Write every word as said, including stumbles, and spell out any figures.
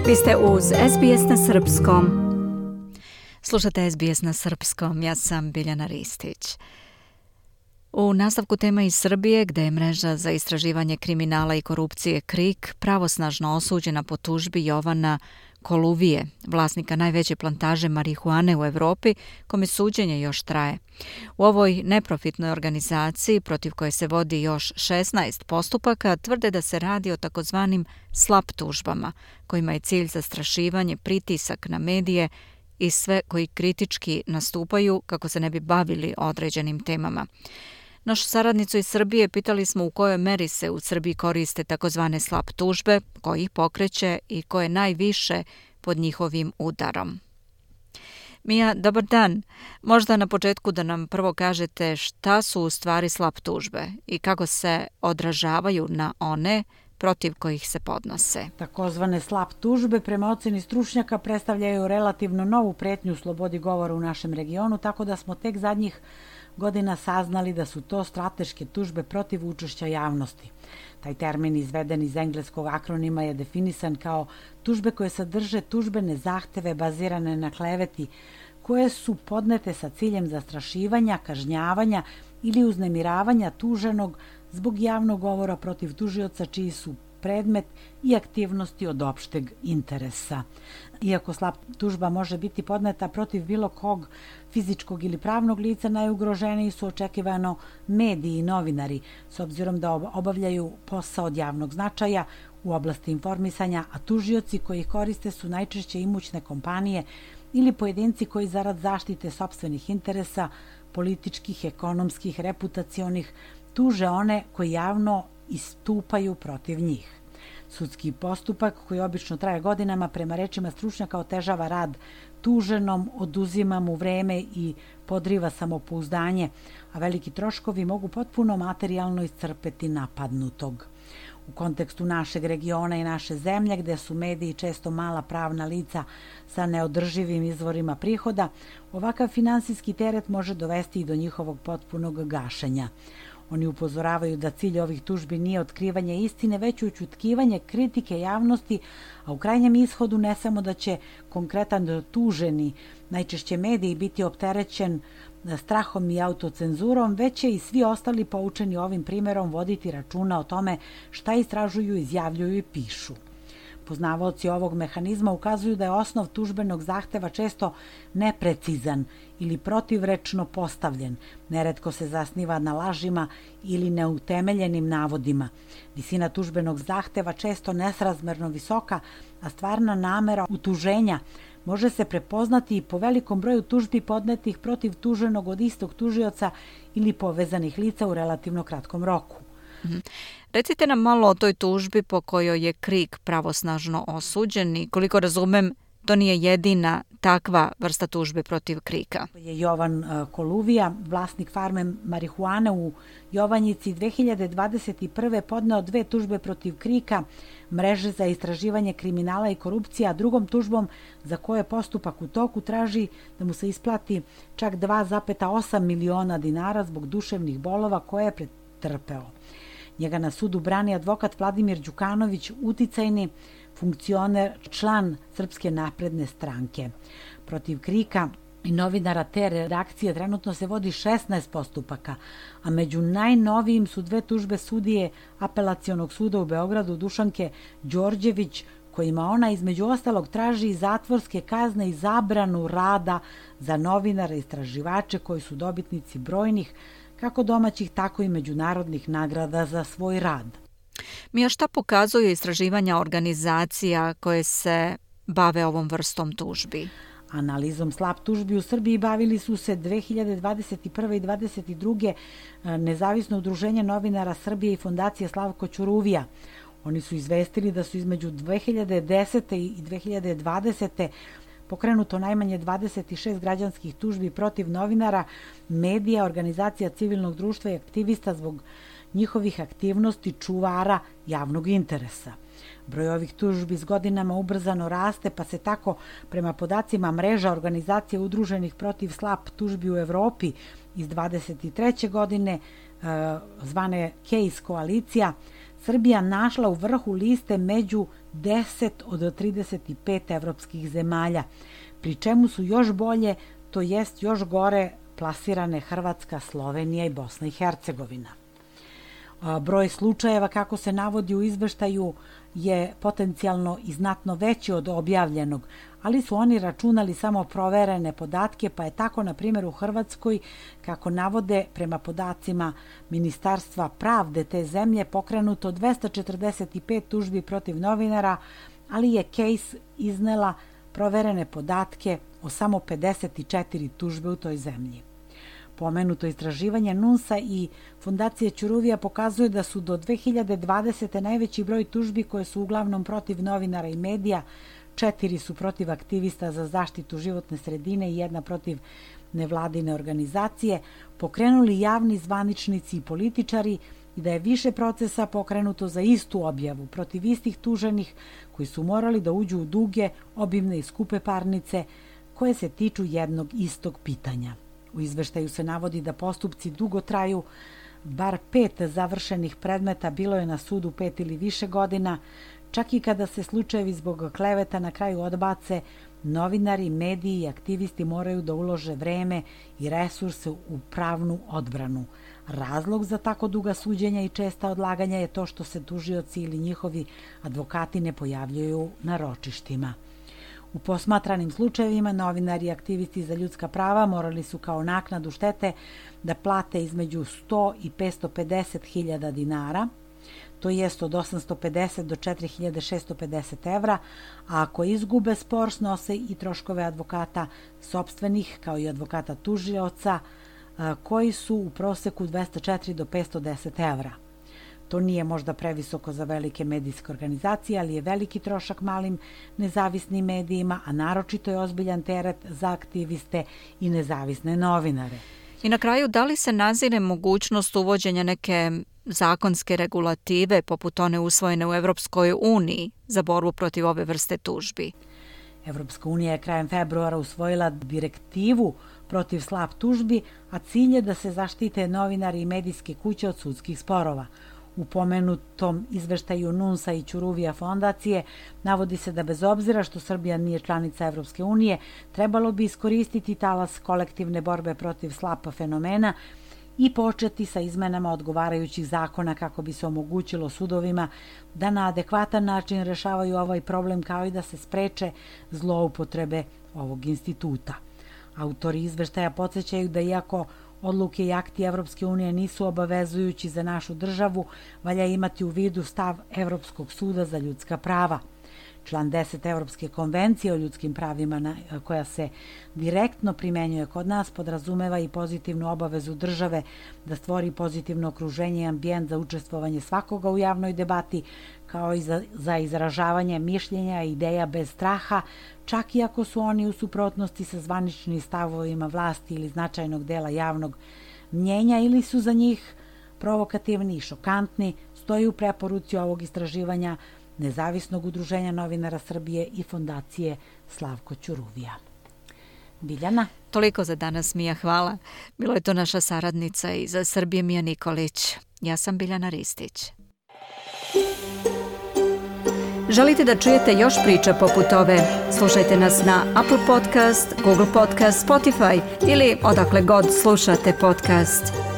Vi ste uz S B S na srpskom. Slušate S B S na srpskom, ja sam Biljana Ristić. U nastavku tema iz Srbije, gde je mreža za istraživanje kriminala i korupcije KRIK pravosnažno osuđena po tužbi Jovana Koluvije, vlasnika najveće plantaže marihuane u Evropi, kome suđenje još traje. U ovoj neprofitnoj organizaciji, protiv koje se vodi još šesnaest postupaka, tvrde da se radi o takozvanim slap tužbama, kojima je cilj zastrašivanje, pritisak na medije i sve koji kritički nastupaju kako se ne bi bavili određenim temama. Našu saradnicu iz Srbije pitali smo u kojoj meri se u Srbiji koriste takozvane slap tužbe, ko ih pokreće i ko je najviše pod njihovim udarom. Mija, dobar dan. Možda na početku da nam prvo kažete šta su u stvari slap tužbe i kako se odražavaju na one protiv kojih se podnose. Takozvane slap tužbe prema oceni stručnjaka predstavljaju relativno novu pretnju slobodi govora u našem regionu, tako da smo tek zadnjih godina saznali da su to strateške tužbe protiv učešća javnosti. Taj termin izveden iz engleskog akronima je definisan kao tužbe koje sadrže tužbene zahteve bazirane na kleveti, koje su podnete sa ciljem zastrašivanja, kažnjavanja ili uznemiravanja tuženog zbog javnog govora protiv tužioca čiji su predmet i aktivnosti od opšteg interesa. Iako slap tužba može biti podneta protiv bilo kog fizičkog ili pravnog lica, najugroženiji su očekivano mediji i novinari, s obzirom da obavljaju posao od javnog značaja u oblasti informisanja, a tužioci koji ih koriste su najčešće imućne kompanije ili pojedinci koji zarad zaštite sopstvenih interesa, političkih, ekonomskih, reputacionih, tuže one koji javno istupaju protiv njih. Sudski postupak, koji obično traje godinama, prema rečima stručnjaka otežava rad tuženom, oduzima mu vreme i podriva samopouzdanje, a veliki troškovi mogu potpuno materijalno iscrpeti napadnutog. U kontekstu našeg regiona i naše zemlje, gde su mediji često mala pravna lica sa neodrživim izvorima prihoda, ovakav finansijski teret može dovesti i do njihovog potpunog gašenja. Oni upozoravaju da cilj ovih tužbi nije otkrivanje istine, već ućutkivanje kritike javnosti, a u krajnjem ishodu ne samo da će konkretan tuženi, najčešće mediji, biti opterećen strahom i autocenzurom, već će i svi ostali poučeni ovim primjerom voditi računa o tome šta istražuju, izjavljuju i pišu. Poznavaoci ovog mehanizma ukazuju da je osnov tužbenog zahteva često neprecizan ili protivrečno postavljen. Neretko se zasniva na lažima ili neutemeljenim navodima. Visina tužbenog zahteva često nesrazmerno visoka, a stvarna namera utuženja može se prepoznati i po velikom broju tužbi podnetih protiv tuženog od istog tužioca ili povezanih lica u relativno kratkom roku. Mm-hmm. Recite nam malo o toj tužbi po kojoj je KRIK pravosnažno osuđen i koliko razumem, to nije jedina takva vrsta tužbe protiv KRIK-a. Je Jovan Koluvija, vlasnik farme marihuane u Jovanjici, dve hiljade dvadeset prve podneo dve tužbe protiv KRIK-a, mreže za istraživanje kriminala i korupcija, a drugom tužbom za koje postupak u toku traži da mu se isplati čak dva zarez osam miliona dinara zbog duševnih bolova koje je pretrpeo. Njega na sudu brani advokat Vladimir Đukanović, uticajni funkcioner, član Srpske napredne stranke. Protiv KRIK-a i novinara te redakcije trenutno se vodi šesnaest postupaka, a među najnovijim su dve tužbe sudije Apelacionog suda u Beogradu Dušanke Đorđević, kojima ona između ostalog traži zatvorske kazne i zabranu rada za novinare i istraživače koji su dobitnici brojnih kako domaćih, tako i međunarodnih nagrada za svoj rad. Mija, šta pokazuju istraživanja organizacija koje se bave ovom vrstom tužbi? Analizom slap tužbi u Srbiji bavili su se dve hiljade dvadeset prve i dvadeset druge Nezavisno udruženje novinara Srbije i Fondacija Slavko Ćuruvija. Oni su izvestili da su između dve hiljade desete i dve hiljade dvadesete pokrenuto najmanje dvadeset šest građanskih tužbi protiv novinara, medija, organizacija civilnog društva i aktivista zbog njihovih aktivnosti čuvara javnog interesa. Broj ovih tužbi s godinama ubrzano raste, pa se tako prema podacima mreža organizacija udruženih protiv slap tužbi u Evropi iz dvadeset treće godine, zvane Case koalicija, Srbija našla u vrhu liste među deset od trideset pet evropskih zemalja, pri čemu su još bolje, to jest još gore, plasirane Hrvatska, Slovenija i Bosna i Hercegovina. Broj slučajeva, kako se navodi u izveštaju, je potencijalno i znatno veći od objavljenog, ali su oni računali samo proverene podatke, pa je tako, na primjer, u Hrvatskoj, kako navode prema podacima Ministarstva pravde te zemlje, pokrenuto dvesta četrdeset pet tužbi protiv novinara, ali je Case iznela proverene podatke o samo pedeset četiri tužbe u toj zemlji. Pomenuto istraživanje NUNS-a i Fondacije Ćuruvija pokazuje da su do dve hiljade dvadesete. najveći broj tužbi koje su uglavnom protiv novinara i medija, četiri su protiv aktivista za zaštitu životne sredine i jedna protiv nevladine organizacije, pokrenuli javni zvaničnici i političari i da je više procesa pokrenuto za istu objavu protiv istih tuženih koji su morali da uđu u duge, obimne i skupe parnice koje se tiču jednog istog pitanja. U izveštaju se navodi da postupci dugo traju, bar pet završenih predmeta bilo je na sudu pet ili više godina, čak i kada se slučajevi zbog kleveta na kraju odbace, novinari, mediji i aktivisti moraju da ulože vreme i resurse u pravnu odbranu. Razlog za tako duga suđenja i česta odlaganja je to što se tužioci ili njihovi advokati ne pojavljuju na ročištima. U posmatranim slučajevima novinari i aktivisti za ljudska prava morali su kao naknadu štete da plate između sto i petsto pedeset hiljada dinara, to jest od osamsto pedeset do četiri hiljade šessto pedeset evra, a ako izgube spor snose i troškove advokata sopstvenih kao i advokata tužioca, koji su u proseku dvesta četiri do petsto deset evra. To nije možda previsoko za velike medijske organizacije, ali je veliki trošak malim nezavisnim medijima, a naročito je ozbiljan teret za aktiviste i nezavisne novinare. I na kraju, da li se nazire mogućnost uvođenja neke zakonske regulative poput one usvojene u Evropskoj uniji za borbu protiv ove vrste tužbi? Evropska unija je krajem februara usvojila direktivu protiv slab tužbi, a cilj je da se zaštite novinari i medijske kuće od sudskih sporova. U pomenutom izveštaju NUNS-a i Ćuruvija fondacije navodi se da bez obzira što Srbija nije članica Evropske unije, trebalo bi iskoristiti talas kolektivne borbe protiv slapa fenomena i početi sa izmenama odgovarajućih zakona kako bi se omogućilo sudovima da na adekvatan način rešavaju ovaj problem, kao i da se spreče zloupotrebe ovog instituta. Autori izveštaja podsjećaju da iako odluke i akti Evropske unije nisu obavezujući za našu državu, valja imati u vidu stav Evropskog suda za ljudska prava. Član deset Evropske konvencije o ljudskim pravima na, koja se direktno primenjuje kod nas podrazumeva i pozitivnu obavezu države da stvori pozitivno okruženje i ambijent za učestvovanje svakoga u javnoj debati, kao i za, za izražavanje mišljenja i ideja bez straha, čak i ako su oni u suprotnosti sa zvaničnim stavovima vlasti ili značajnog dela javnog mnjenja ili su za njih provokativni i šokantni, stoji u preporuci ovog istraživanja Nezavisnog udruženja novinara Srbije i Fondacije Slavko Ćuruvija. Biljana? Toliko za danas, Mija, hvala. Bilo je to naša saradnica iz Srbije, Mija Nikolić. Ja sam Biljana Ristić. Želite da čujete još priča poput ove? Slušajte nas na Apple Podcast, Google Podcast, Spotify ili odakle god slušate podcast.